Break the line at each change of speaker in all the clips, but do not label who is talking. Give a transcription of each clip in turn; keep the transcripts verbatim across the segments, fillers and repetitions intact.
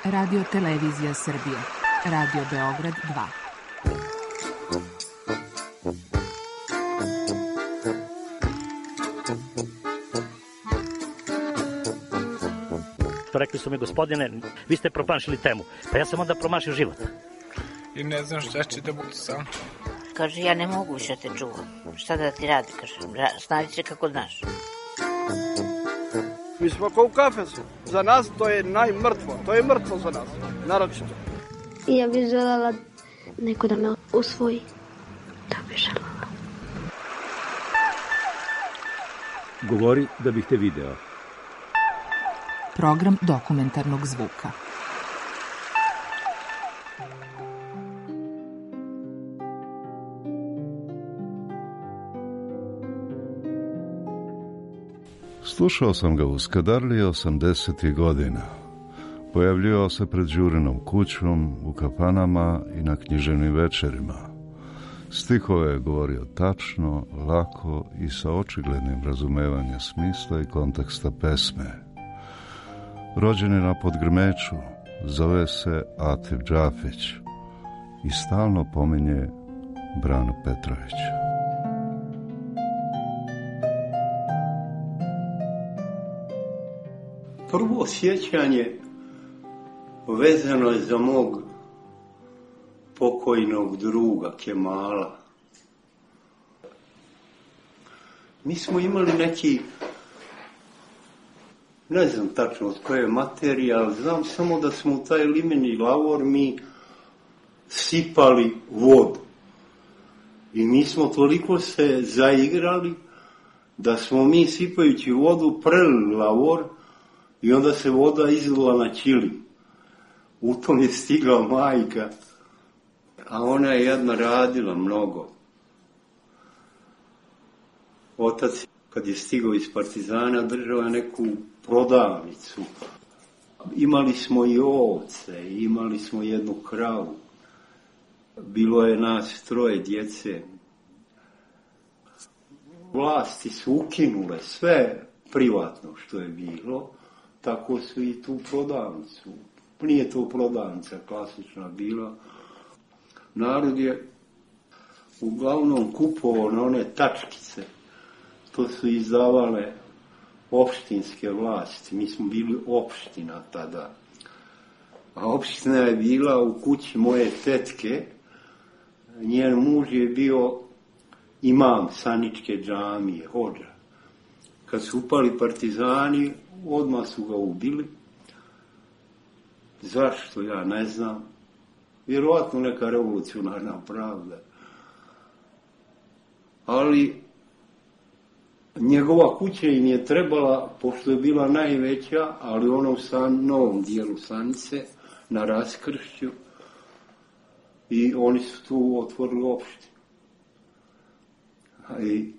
Radio Televizija Srbije. Radio Beograd dva.
Rekli su mi, gospodine, vi ste promašili temu. Pa ja sam onda promašio život.
I ne znam šta će da bude sam.
Kaže, ja ne mogu više te čuvam. Šta da ti radi, kaže, snađi se kako znaš.
Mi smo kao u kafesu. Za nas to je najmrtvo. To je mrtvo za nas, naročito.
Ja bih želela neko da me usvoji. Da bih želela.
Govori da bih te video.
Program dokumentarnog zvuka.
Slušao sam ga u Skadarliji osamdesetih godina. Pojavljivao se pred Đurinom kućom, u kafanama i na književnim večerima. Stihove je govorio tačno, lako i sa očiglednim razumevanjem smisla i konteksta pesme. Rođen je na Podgrmeču, zove se Atif Džafić i stalno pominje Branu Petrovića.
Prvo sjećanje vezano je za mog pokojnog druga Kemala. Mi smo imali neki, ne znam tačno od koje materije, ali znam samo da smo u taj limeni lavor mi sipali vodu. I mi smo toliko se zaigrali da smo mi sipajući vodu prelili lavor i onda se voda izlila na ćilim. U tom je stigla majka, a ona je jedna radila mnogo. Otac, kad je stigao iz Partizana, držao je neku prodavnicu. Imali smo i ovce, imali smo jednu kravu. Bilo je nas troje djece. Vlasti su ukinule sve privatno što je bilo, tako su i tu prodavnicu. Nije to prodavnica klasična bila. Narod je uglavnom kupovao na one tačkice. To su izdavale opštinske vlasti. Mi smo bili opština tada. A opština je bila u kući moje tetke. Njen muž je bio imam Saničke džamije, hodža. Kad su upali partizani, odmah su ga ubili. Zašto, ja ne znam. Vjerovatno neka revolucionarna pravda. Ali njegova kuća im je trebala, pošto je bila najveća, ali u onom san, novom dijelu Sanice, na Raskršću, i oni su tu otvorili opštinu. I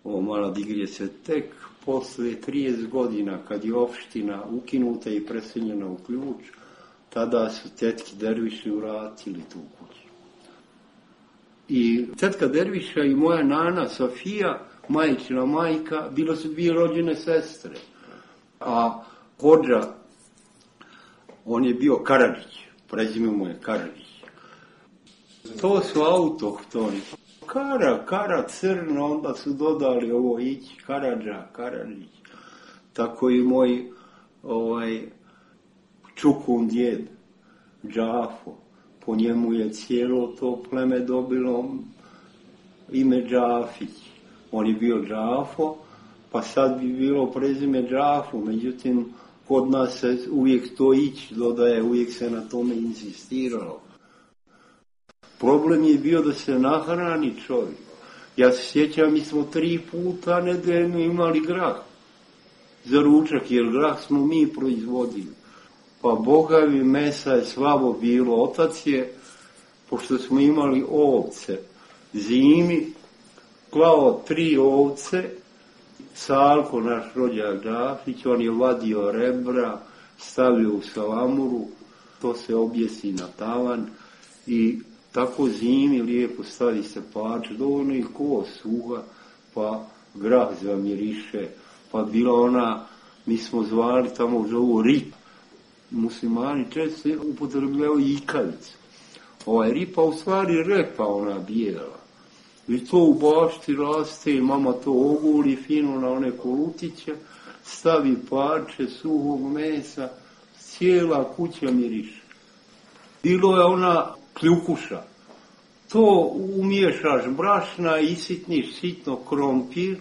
ovo mala digrije se tek posle trideset godina, kad je opština ukinuta i preseljena u Ključ, tada su tetki Derviši vratili tu kuću. I tetka Derviša i moja nana Sofija, majčina majka, bila su dvije rođene sestre. A hodža, on je bio Karadžić, prezime mu je Karadžić. To su autohtoni. Kara, Kara crno, onda su dodali ovo ići, Karadža, Karadžić. Tako i moj ovaj, čukun djed, Džafo. Po njemu je cijelo to pleme dobilo ime Džafić. On je bio Džafo, pa sad bi bilo prezime Džafo, međutim, kod nas se uvijek to ići dodaje, uvijek se na tome insistiralo. Problem je bio da se nahrani čovjek. Ja se sjećam, mi smo tri puta nedeljno imali grah za ručak, jer grah smo mi proizvodili. Pa bogavi mesa je slabo bilo. Otac je, pošto smo imali ovce, zimi, klao tri ovce, Salko, naš rođak Džafić, on je vadio rebra, stavio u salamuru, to se objesi na tavan i tako zimi lijepo stavi se pač, dovoljno i ko suha, pa grah zamiriše, pa bila ona, mi smo zvali tamo zovu rip, muslimani često upotrebljavaju ikavicu. Ovaj ripa u stvari repa ona bijela. I to u bašti raste i mama to oguli fino na one kolutiće, stavi parče suhog mesa, cijela kuća miriše. Bilo je ona kljukuša. To umiješaš brašna, isitniš sitno krompir,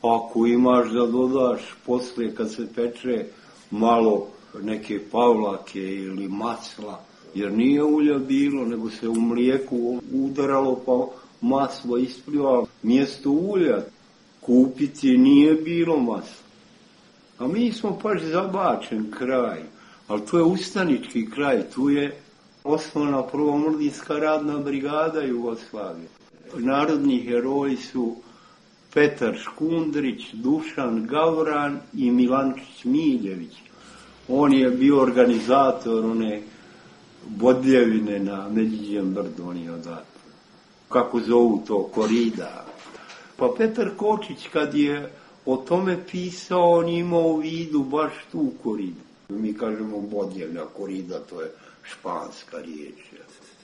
ako imaš da dodaš posle kad se peče malo neke pavlake ili masla, jer nije ulja bilo, nego se u mlijeku udaralo pa maslo isplivalo. Mjesto ulja kupiti nije bilo masla. A mi smo paš zabačen kraj, ali to je ustanički kraj, tu je osnovna prvomrdinska radna brigada Jugoslavije. Narodni heroji su Petar Škundrić, Dušan Gavran i Milančić Miljević. On je bio organizator one bodljevine na Međiđem brdu, on je odatle. Kako zovu to, korida. Pa Petar Kočić kad je o tome pisao, on imao u vidu baš tu koridu. Mi kažemo bodljevna korida, to je španska riječ.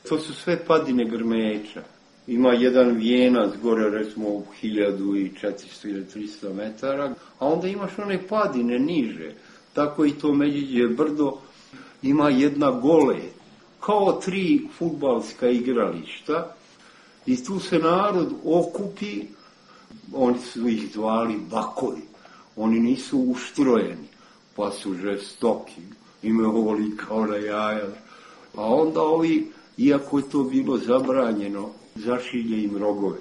To su sve padine Grmeča. Ima jedan vijenac gore, recimo, hiljadu četiristo ili tristo metara, a onda imaš one padine niže. Tako i to Međiđe brdo ima jedna gole, kao tri fudbalska igrališta, i tu se narod okupi, oni su ih zvali bakovi, oni nisu uštrojeni, pa su žestoki, imaju ovoli kao na jaja. A onda ovi, iako je to bilo zabranjeno, zašilje im rogove.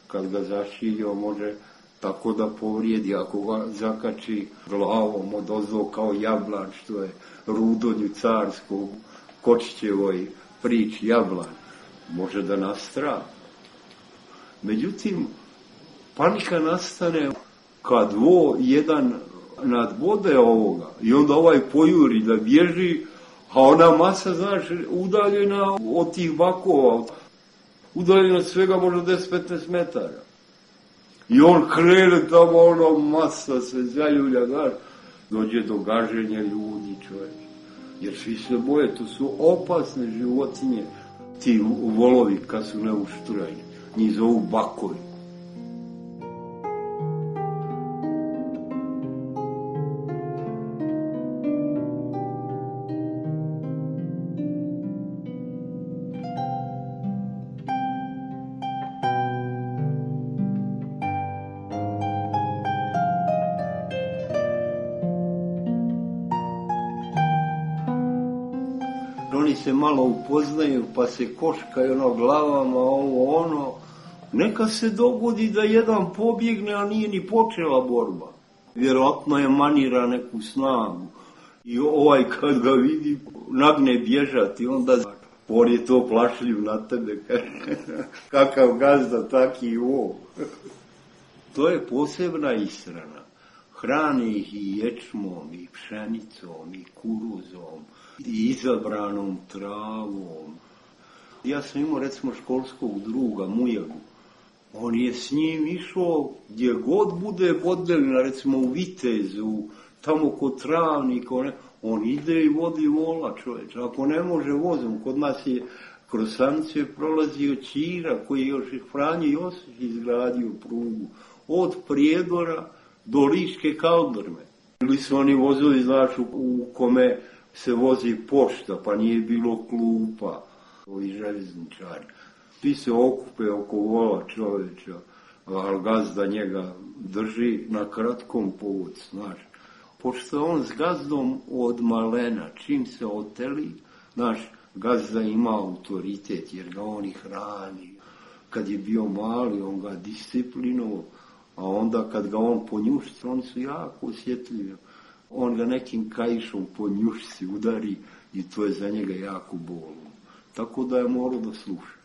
Kad ga zašilje, može tako da povrijedi, ako ga zakači glavom od ozdo kao jablan, što je Rudonju carskom Kočićevoj priči jablan, može da nastrada. Međutim, panika nastane kad vo jedan nadbode ovoga i onda ovaj pojuri da bježi, a ona masa, znaš, udaljena od tih bakova, udaljena svega možda deset do petnaest metara. I on krene tamo, ono masa se zaljulja, znaš, dođe do gaženja ljudi, čovječ. Jer svi se boje, to su opasne životinje, ti volovi kad su neuštrajni, njih zovu bakovi. Oni se malo upoznaju, pa se koškaju ono glavama, ovo ono. Neka se dogodi da jedan pobjegne, a nije ni počela borba. Vjerojatno je manira neku snagu. I ovaj kad ga vidi, nagne bježati, onda on je to plašljiv na tebe. Kakav gazda, taki i ovo. To je posebna ishrana. Hrani ih i ječmom, i pšenicom, i kuruzom, i izabranom travom. Ja sam imao, recimo, školskog druga, Mujagu. On je s njim išao gdje god bude bodljevina, recimo u Vitezu, tamo kod Travnika, on, on ide i vodi vola, čovječ. Ako ne može vozom, kod nas je kroz Sanice prolazio Ćira, koji je još Franjo Josić izgradio prugu, od Prijedora do Liške Kaldrme. Ili su oni vozovi, znaš, u, u kome se vozi pošta, pa nije bilo klupa, ovi željezničari. Svi se okupe oko vola čovječa, ali gazda njega drži na kratkom povodcu, znaš. Pošto je on s gazdom od malena, čim se oteli, znaš, gazda ima autoritet, jer ga on i hrani. Kad je bio mali, on ga disciplinovao, a onda kad ga on ponjušci, oni su jako osjetljivi. On ga nekim kaišom po njušci udari i to je za njega jako bolno. Tako da je morao da sluša.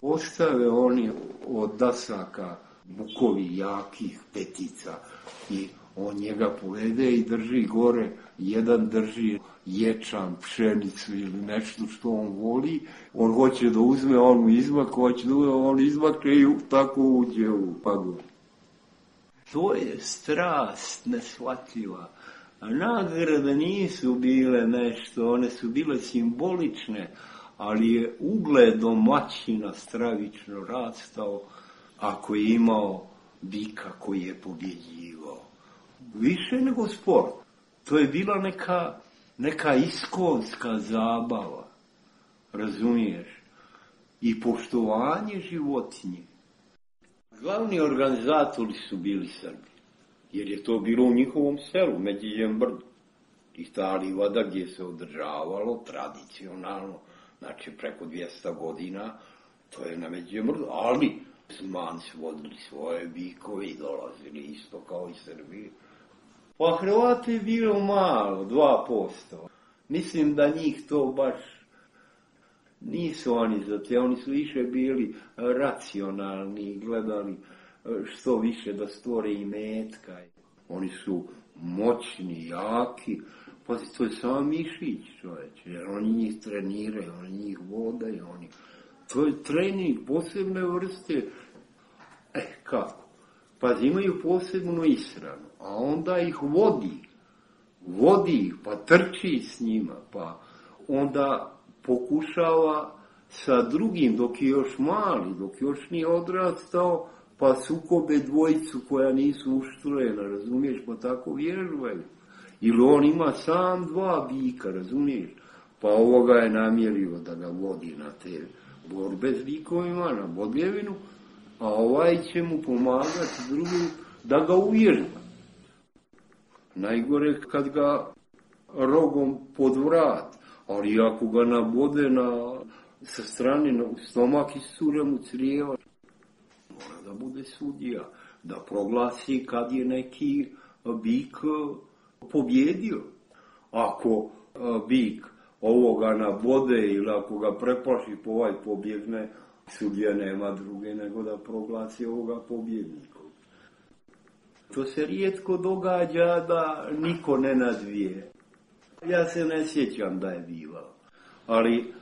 Ostave oni od dasaka bukovi jakih petica i on njega povede i drži gore. Jedan drži ječam, pšenicu ili nešto što on voli. On hoće da uzme, on mu izmak, hoće da uzme, on izmakne i tako uđe u pagodu. To je strast neshvatljiva. A nagrade nisu bile nešto, one su bile simbolične, ali je ugled domaćina stravično rastao ako je imao bika koji je pobjeđivao. Više nego sport. To je bila neka, neka iskonska zabava, razumiješ, i poštovanje životinje. Glavni organizatori su bili Srbi, jer je to bilo u njihovom selu, Međiđem brdu. I ta livada gdje se održavalo tradicionalno, znači preko dvjesto godina, to je na Međiđem brdu, ali Zmani su vodili svoje bikove i dolazili isto kao i Srbi. Pa Hrvati je bilo malo, dva posto. Mislim da njih to baš nisu oni za te, oni su više bili racionalni i gledali što više da stvore imetka. Oni su moćni, jaki, pa to je samo mišić, čovječe, jer oni njih treniraju, oni njih vodaju, oni... To je trening posebne vrste. E, kako? Pa imaju posebnu isranu, a onda ih vodi. Vodi ih, pa trči s njima, pa onda pokušava sa drugim, dok je još mali, dok još nije odrastao, pa sukobe dvojicu koja nisu uštrojena, razumiješ, pa tako vježbaju. Ili on ima sam dva bika, razumiješ, pa ovoga je namjerio da ga vodi na te borbe s bikovima, na bodljevinu, a ovaj će mu pomagati drugi da ga uvježba. Najgore kad ga rogom pod vrat, ali ako ga nabode na, sa strane na stomak i sure mu crijeva, mora da bude sudija, da proglasi kad je neki bik pobjedio. Ako bik ovoga nabode ili ako ga preplaši po ovaj pobjegne, sudija nema druge nego da proglasi ovoga pobjednika. To se rijetko događa da niko ne nadvije. Ja se ne sjećam da je bivalo. Ali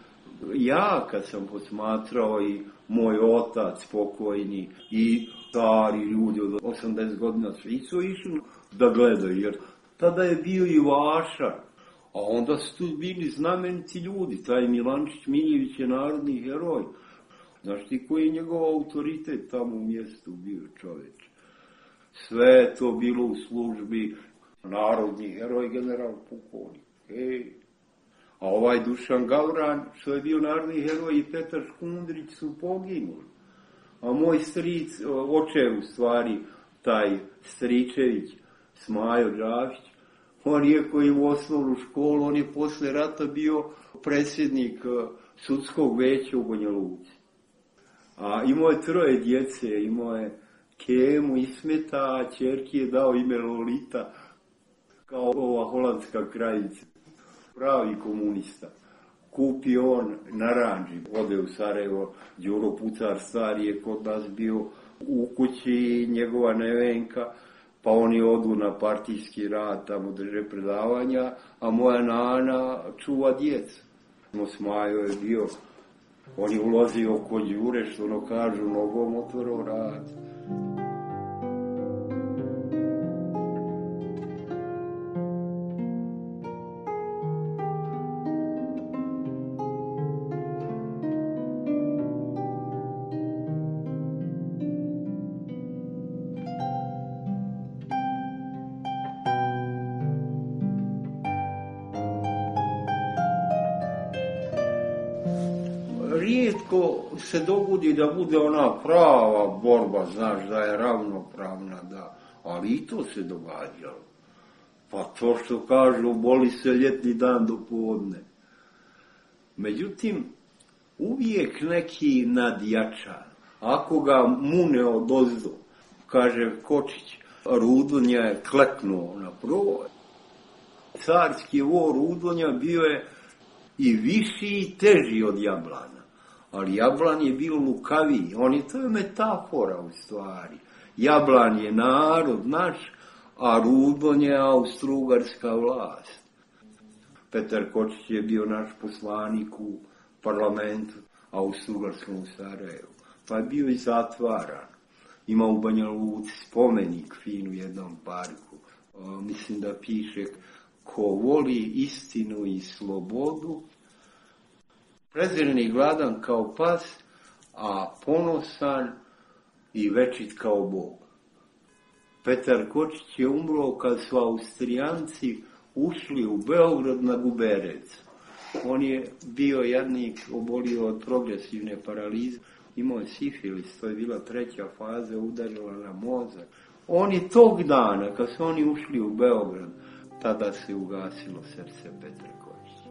ja kad sam posmatrao i moj otac pokojni i stari ljudi od osamdeset godina svi su išli da gledaju, jer tada je bio i Vaša. A onda su tu bili znameniti ljudi. Taj Milančić Miljević je narodni heroj. Znaš ti koji je njegov autoritet tamo u mjestu bio, čoveč? Sve je to bilo u službi narodni heroj, general pukovnik. Ej. A ovaj Dušan Gavran, što je bio narodni heroj, i Petar Škundrić su poginuli. A moj stric, očev u stvari, taj Stričević, Smajo Đavić, on je koji u osnovnu školu, on je posle rata bio predsjednik sudskog veća u Banja Luci. A imao je troje djece, imao je Kemu, Ismeta, a ćerki je dao ime Lolita, kao ova holandska kraljica. Pravi komunista. Kupi on naranđi, ode u Sarajevo, Đuro Pucar stari je kod nas bio u kući, njegova nevenka, pa oni odu na partijski rad, tamo drže predavanja, a moja nana čuva djecu. Smajo je bio, on je ulazio kod Đure, što ono kažu, nogom otvorao rad. Rijetko se dogodi da bude ona prava borba, znaš, da je ravnopravna, da, ali i to se događalo. Pa to što kažu, boli se ljetni dan do podne. Međutim, uvijek neki nadjačan, ako ga mune odozdo, kaže Kočić, Rudonja je kleknuo na provoj. Carski vor Rudonja bio je i viši i teži od Jablana. Ali Jablan je bio lukaviji, on je, to je metafora u stvari. Jablan je narod naš, a Rudon je austrougarska vlast. Petar Kočić je bio naš poslanik u parlamentu austrougarskom u Sarajevu, pa je bio i zatvaran. Ima u Banja Luci spomenik fin u jednom parku, mislim da piše, ko voli istinu i slobodu, prezren i gladan kao pas, a ponosan i večit kao Bog. Petar Kočić je umro kad su Austrijanci ušli u Beograd na Guberec. On je bio jadnik, obolio od progresivne paralize, imao je sifilis, to je bila treća faza, udarila na mozak. Oni tog dana, kad su oni ušli u Beograd, tada se ugasilo srce Petra Kočića.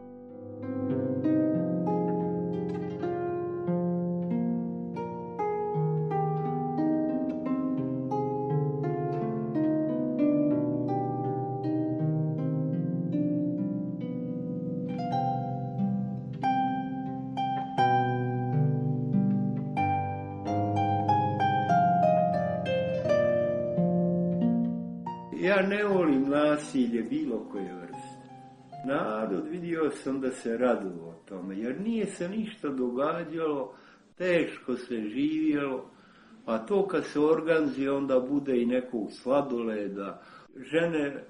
Ja ne volim nasilje bilo koje vrste. Narod, vidio sam da se radilo o tome, jer nije se ništa događalo, teško se živjelo, a to kad se organizuje, onda bude i nekog sladoleda. Žene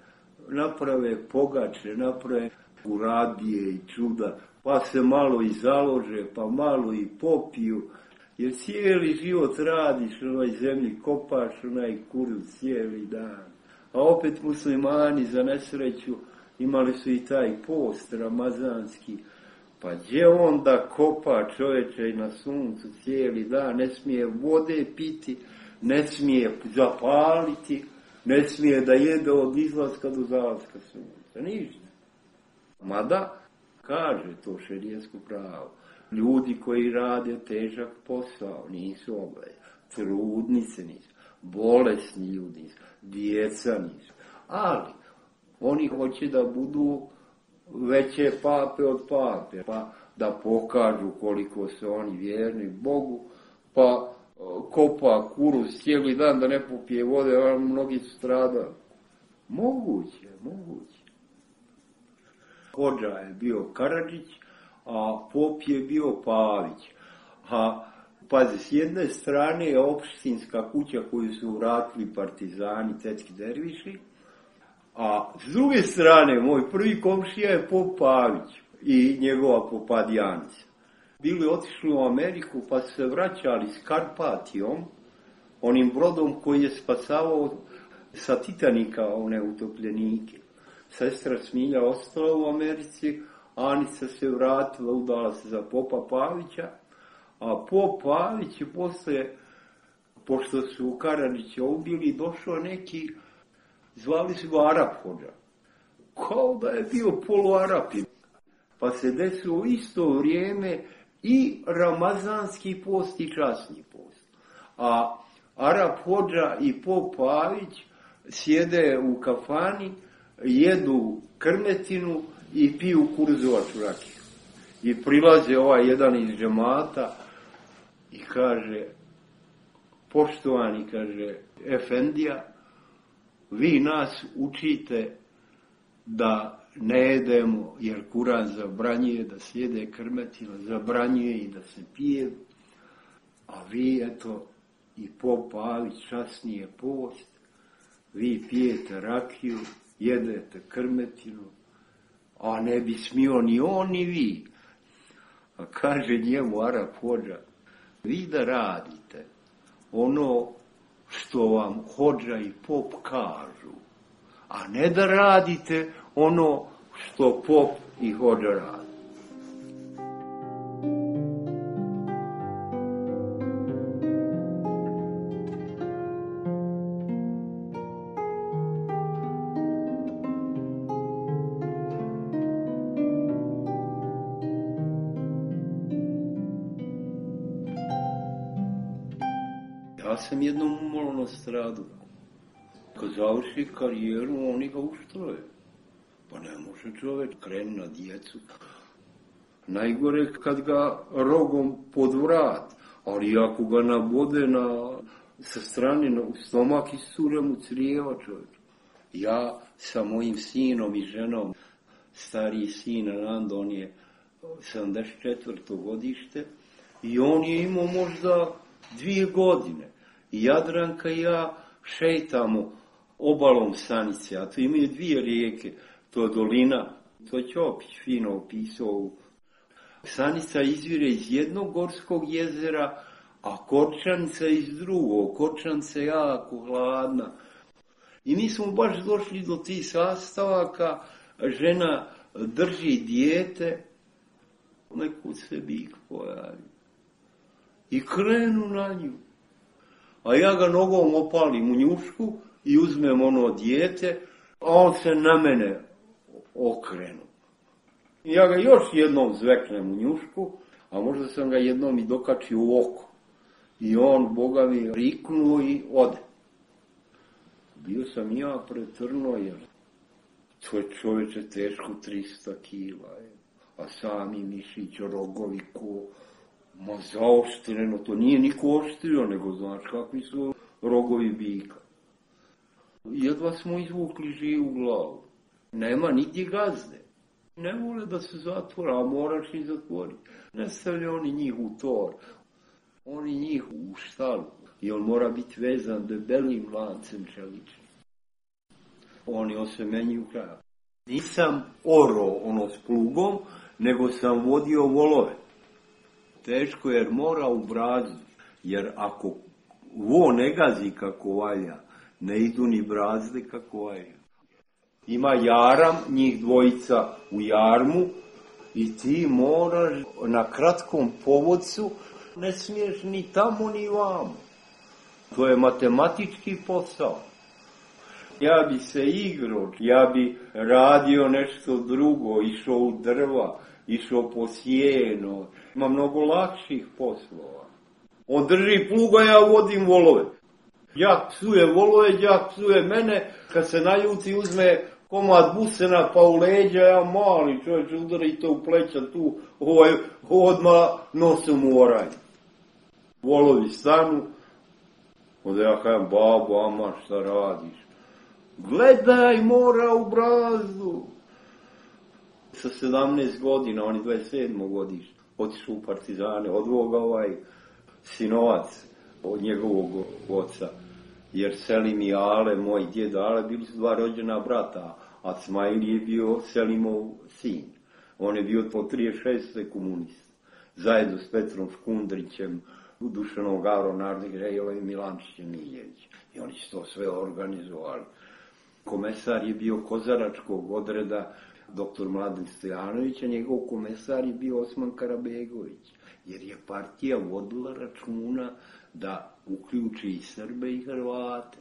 naprave pogače, naprave uradije i čuda, pa se malo i založe, pa malo i popiju, jer cijeli život radiš na ovoj zemlji, kopaš onaj kuruz cijeli dan. A opet muslimani za nesreću imali su i taj post ramazanski. Pa gdje on da kopa čovječe i na suncu cijeli dan, ne smije vode piti, ne smije zapaliti, ne smije da jede od izlaska do zalaska sunca, ništa. Mada, kaže to šerijetsko pravo, ljudi koji rade težak posao nisu obvezni, trudnice nisu, bolesni ljudi nisu, djeca nisu, ali oni hoće da budu veće pape od pape, pa da pokažu koliko su oni vjerni Bogu, pa kopa kuruz cijeli dan da ne popije vode, a mnogi su stradali. Moguće, moguće. Hodža je bio Karadžić, a pop je bio Pavić. A pazi, s jedne strane je opštinska kuća koju su vratili partizani, tetski derviši, a s druge strane, moj prvi komšija je pop Pavić i njegova popadijanica. Bili otišli u Ameriku pa su se vraćali s Karpatijom, onim brodom koji je spasavao sa Titanika one utopljenike. Sestra Smilja ostala u Americi, Anica se vratila, udala se za popa Pavića, a pop Pavić je posle, pošto su Karadžića ubili, došao neki, zvali su ga Arap Hodža. Kao da je bio poluarapi. Pa se desilo u isto vrijeme i ramazanski post i časni post. A Arap Hodža i pop Pavić sjede u kafani, jedu krmetinu i piju kurzovaču rakiju. I prilaze ovaj jedan iz džemata i kaže, poštovani, kaže, efendija, vi nas učite da ne jedemo, jer Kuran zabranjuje da se jede krmetina, zabranjuje i da se pije, a vi, eto, i pop Pavić, časni je post, vi pijete rakiju, jedete krmetinu, a ne bi smio ni on ni vi. A kaže njemu Arap Hodža, vi da radite ono što vam Hodža i pop kažu, a ne da radite ono što pop i Hodža radi. Ja sam jednom umalo nastradao. Kad završi karijeru, oni ga uštroje. Pa ne može čovjek krenu na djecu. Najgore kad ga rogom pod vrat, ali ako ga nabode na, sa strane na, u stomak, iscure mu crijeva čovjek. Ja sa mojim sinom i ženom, stariji sin Anando, on je sedamdeset četvrto godište i on je imao možda dvije godine. I Jadranka i ja šetamo obalom Sanice, a tu imaju dvije rijeke, to je dolina, to je Ćopić fino opisao. Sanica izvire iz jednog gorskog jezera, a Korčanica iz drugog. Korčanica je jako hladna. I mi smo baš došli do tih sastavaka, žena drži dijete, nekud se bik pojavi. I krenu na nju. A ja ga nogom opalim u njušku i uzmem ono dijete, a on se na mene okrenu. Ja ga još jednom zveknem u njušku, a možda sam ga jednom i dokačio u oko. I on, Boga mi, riknuo i ode. Bio sam ja pretrno, jer to je čoveče teško trista kila. Je. A sami mišić, rogovi, ko, ma zaoštreno, to nije niko oštrio, nego znaš kakvi su rogovi bika. Jedva smo izvukli živu glavu. Nema nigdje gazde. Ne vole da se zatvora, a moraš ih zatvoriti. Ne stavlja oni njih u tor, oni njih u štalu. I on mora biti vezan debelim lancem čeličnim. Oni osemenjuju krav. Nisam oro ono s plugom, nego sam vodio volove. Teško jer mora u brazdu, jer ako vo ne gazi kako valja, ne idu ni brazde kako valja. Ima jaram, njih dvojica u jarmu i ti moraš na kratkom povodcu, ne smiješ ni tamo ni vamo. To je matematički posao. Ja bi se igrao, ja bi radio nešto drugo, išao u drva, išao po sjeno. Ima mnogo lakših poslova. On drži pluga, ja vodim volove. Jak psuje volove, jak psuje mene, kad se naljuti uzme komad busena pa u leđa, ja mali čovječ udari to u pleća tu, ovaj, odmah nosom u oranje. Volovi stanu, onda ja kajem, babo, ama, šta radiš? Gledaj, mora u brazdu. Sa sedamnaest godina, on je dvadeset sedmo godište, otišao u partizane, odveo ga ovaj sinovac od njegovog oca. Jer Selim i Ale, moj djed Ale, bili su dva rođena brata, a Cmajl je bio Selimov sin. On je bio po trideset šeste komunist. Zajedno s Petrom Škundrićem, Dušanom Gavrom Nardigrejevom i Milančićem Miljevićem. I oni su to sve organizovali. Komesar je bio kozaračkog odreda doktor Mladen Stojanović, a njegov komesar je bio Osman Karabegović. Jer je partija vodila računa da uključi i Srbe i Hrvate.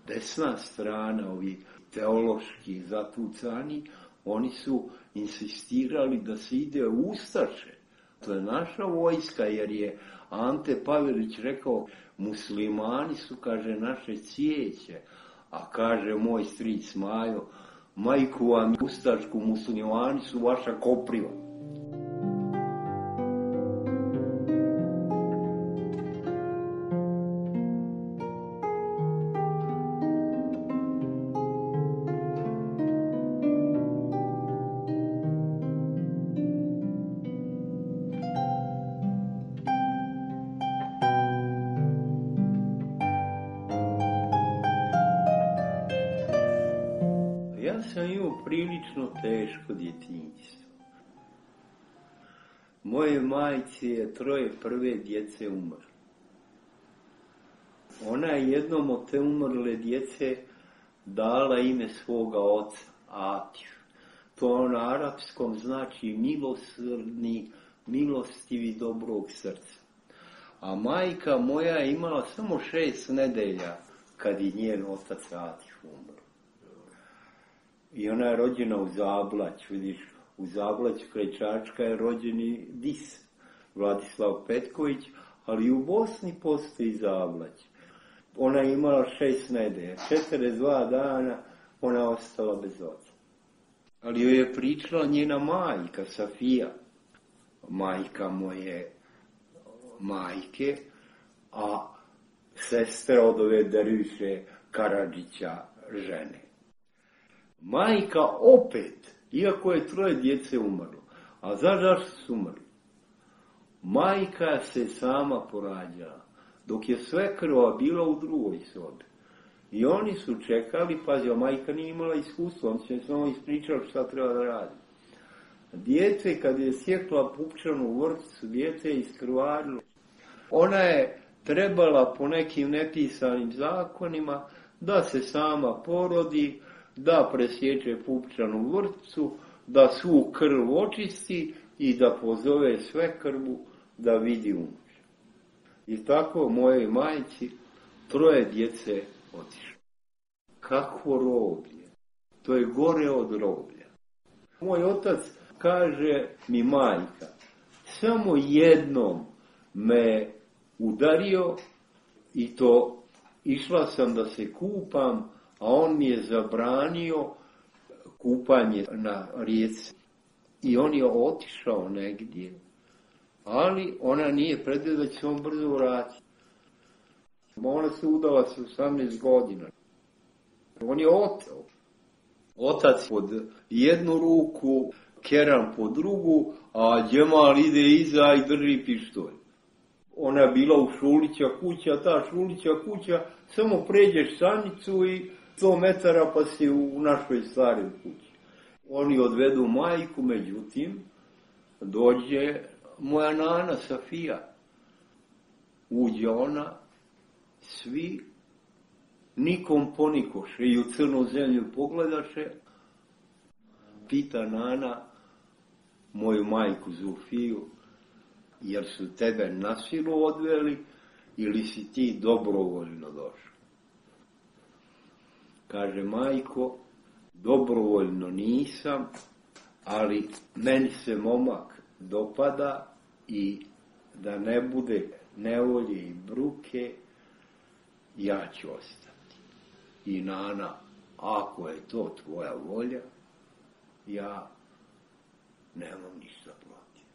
Desna strana, ovi teološki zatucani, oni su insistirali da se ide u Ustaše. To je naša vojska, jer je Ante Pavelić rekao, muslimani su, kaže, naše cvijeće, a kaže moj stric Majo, majku vam ustašku, muslimani su vaša kopriva. Ja sam imao prilično teško djetinjstvo. Moje majci je troje prve djece umrlo. Ona je jednom od te umrle djece dala ime svoga oca, Atiju. To na arapskom znači milosrdni, milostivi, dobrog srca. A majka moja je imala samo šest nedelja kad je njen otac Atiju umro. I ona je rođena u Zablać, vidiš, u Zablać kraj Čačka je rođeni Dis, Vladislav Petković, ali u Bosni postoji Zablać. Ona je imala šest nedelja, četrdeset dva dana ona je ostala bez oca. Ali joj je pričala njena majka, Safija, majka moje majke, a sestra od ove Derviše Karadžića žene. Majka opet, iako je troje djece umrlo, a zašto su umrli? Majka se sama porađala, dok je svekrva bila u drugoj sobi. I oni su čekali, pazi, a majka nije imala iskustva, on se samo ispričao šta treba da radi. Dijete, kad je sjekla pupčanu vrpcu, dijete je iskrvarilo. Ona je trebala po nekim nepisanim zakonima da se sama porodi, da presječe pupčanu vrpcu, da svu krv očisti i da pozove sve krvu da vidi unuče. I tako mojoj majci troje djece otišlo. Kakvo roblje? To je gore od roblja. Moj otac kaže mi, majka, samo jednom me udario i to išla sam da se kupam, a on mi je zabranio kupanje na rijeci. I on je otišao negdje, ali ona nije predvidjela da će on brzo vratiti. Ona se udala sa osamnaest godina. On je oteo. Otac pod jednu ruku, Keran pod drugu, a Džemal ide iza i drži pištolj. Ona je bila u Šulića kuća, ta Šulića kuća, samo pređeš stanicu i sto metara pa si u našoj staroj kući. Oni odvedu majku, međutim, dođe moja nana Safija. Uđe ona, svi nikom ponikoše i u crnu zemlju pogledaše. Pita nana moju majku Zufiju, jer su tebe na silu odveli ili si ti dobrovoljno došao? Kaže, majko, dobrovoljno nisam, ali meni se momak dopada i da ne bude nevolje i bruke, ja ću ostati. I nana, ako je to tvoja volja, ja nemam ništa protiv.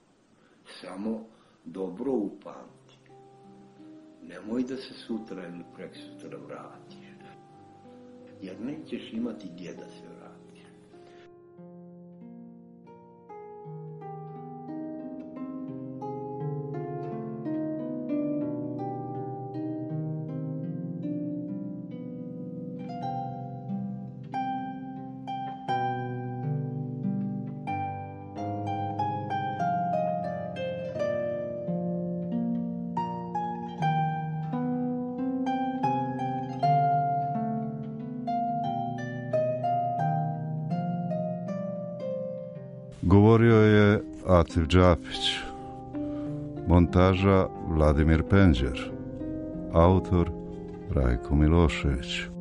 Samo dobro upamti. Nemoj da se sutra ili preksutra vratiš. Jer nećeš imati gdje da se vratiš.
Govorio je Atif Džapić, montaža Vladimir Penđer, autor Rajko Milošević.